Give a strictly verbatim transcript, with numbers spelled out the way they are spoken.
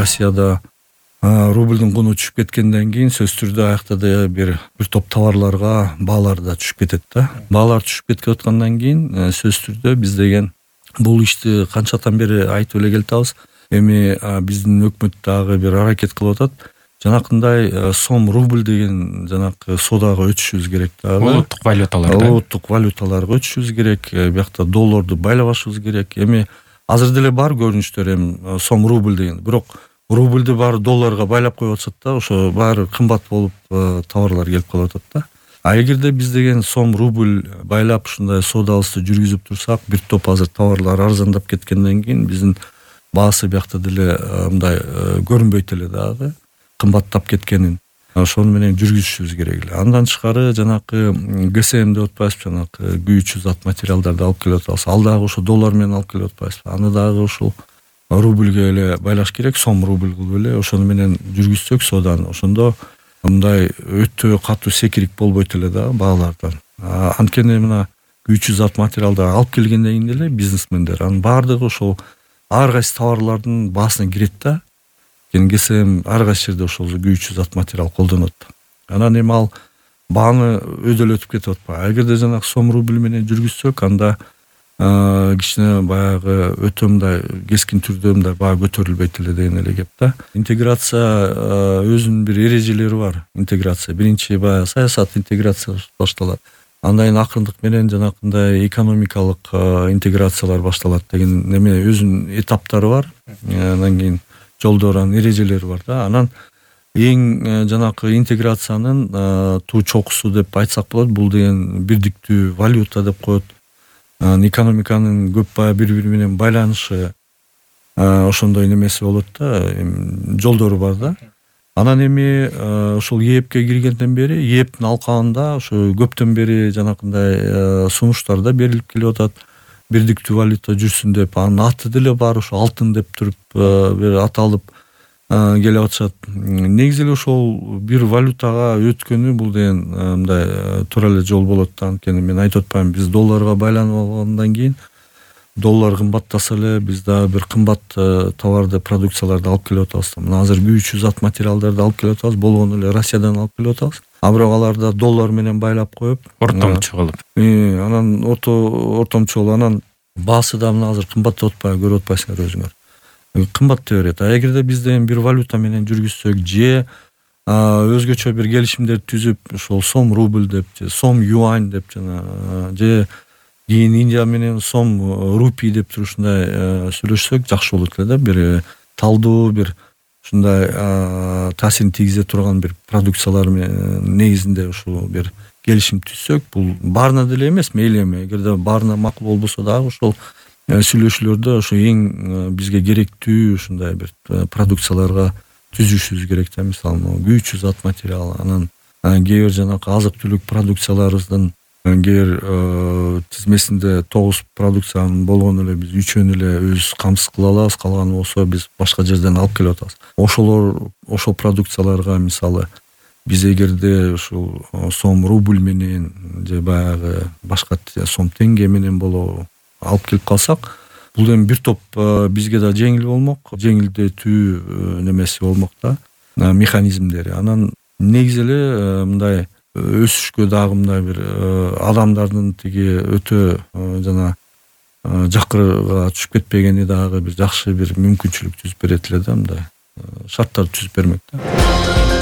Россияда рублдун куну түшүп кеткенден кийин сөзсүз түрдө аякта да бир бир топ товарларга баалар да түшүп кетет да. Баалар түшүп кетип аткандан кийин сөзсүз түрдө биз деген бул ишти канчадан бери айтып эле келатабыз. Эми биздин өкмөт дагы бир аракет кылып атат. Жанакындай сом рубль деген жанакы содага өтүшүбүз керек дагы. Улуттук валюталар да. Улуттук валюталарга өтүшүбүз керек. Биякта долларду байлабашыбыз керек. Эми азыр деле бар көрүнүштөр эми сом рубль деген. Бирок рубльду баары долларга байлап коюп атышат да, ошо баары кымбат болуп товарлар келип калып атат да. А эгерде биз деген сом рубль байлап ушундай содабызды жүргүзүп турсак, бир топ азыр товарлар арзандап кеткенден кийин биздин баасы биякта деле мындай көрүнбөйт эле дагы кымбаттап кеткенин. Ошону менен жүргүзүшүбүз керек эле. Андан тышкары жанакы ГСМ деп атпайбызбы, жанакы күйүүчү зат материалдарды алып келип атабыз. Ал дагы ошо доллар менен алып келип атпайбызбы? Аны дагы ушул рубльге эле байлаш керек, сом рубль кылып эле ошону менен жүргүзсөк соданы, ошондо мындай өтө катуу секирип болбойт эле да баалардан. Анткени мына күйүүчү зат материалдар алып келгенден кийин эле бизнесмендер анын баардыгы ошол ар кайсы товарлардын баасына кирет да. ГСМ ар кайсы жерде ошол күйүүчү зат материал колдонот. Анан эми ал бааны өдөлөтүп кетип атпайбы? Эгерде жанагы сом рубль менен жүргүзсөк, анда кичине баягы өтө мындай кескин түрдө мындай баа көтөрүлбөйт эле деген эле кеп да. Интеграция өзүнүн бир эрежелери бар. Интеграция биринчи баягы саясат интеграция башталат. Андан кийин акырындык менен жанакындай экономикалык интеграциялар башталат деген неме өзүнүн этаптары бар. Андан кийин жолдор, анын эрежелери бар да. Анан эң жанакы интеграциянын туу чокусу деп айтсак болот. Бул деген бирдиктүү валюта деп коет. Экономиканын көп бая бири-бири менен байланышы ошондой немеси болот да, жолдору бар да. Анан эми ошол ЕЭПке киргенден бери, ЕЭПтин алкагында ошо көптөн бери жанакындай сунуштар да берилип келип атат. Бирдиктүү валюта жүрсүн деп, анын аты деле бар, ошо алтын деп туруп бир аталып келип атышат. Негизи эле ошол бир валютага өткөнү бул деген мындай туура эле жол болот да. Анткени мен айтып атпаймынбы, биз долларга байланып алгандан кийин доллар кымбаттаса эле биз дагы бир кымбат товарды, продукцияларды алып келип атабыз. Мына азыр күйүүчү зат материалдарды алып келип атабыз, болгону эле Россиядан алып келип атабыз. А бирок аларды доллар менен байлап коюп, ортомчу кылып. Анан ото ортомчу болуп, анан баасы да мына азыр кымбаттап атпайбы, көрүп атпайсыңар өзүңөр. Кымбаттай берет. А эгерде биз деген бир валюта менен жүргүзсөк, же өзгөчө бир келишимдерди түзүп, ошол сом рубль деп, же сом юань деп жана, же кийин Индия менен сом рупий деп туруп ушундай сүйлөшсөк жакшы болот эле да. Бир талдуу, бир ушундай таасирин тийгизе турган бир продукциялар негизинде ушул бир келишим түзсөк, бул баарына деле эмес, мейли эми. Эгерде баарына макул болбосо дагы ошол сүйлөшүүлөрдө ошо эң бизге керектүү ушундай бир продукцияларга түзүшүбүз керек да. Мисалы, күйүүчү зат материал, анан кээ бир жанакы азык-түлүк продукцияларыбыздын кээ бир тизмесинде тогуз продукциянын болгону эле биз үчөөнү эле өзүбүз камсыз кыла алабыз, калганы болсо биз башка жерден алып келип атабыз. Ошолор ошол продукцияларга мисалы биз эгерде ушул сом рубль менен же баягы башка сом тенге менен болобу алып келип калсак, бул эми бир топ бизге да жеңил болмок, жеңилдетүү немеси болмок да, механизмдери. Анан негизи эле мындай өсүшкө дагы мындай бир адамдардын тиги өтө жана жакырга түшүп кетпегени дагы бир жакшы бир мүмкүнчүлүк түзүп берет эле да, мындай шарттарды түзүп бермек да.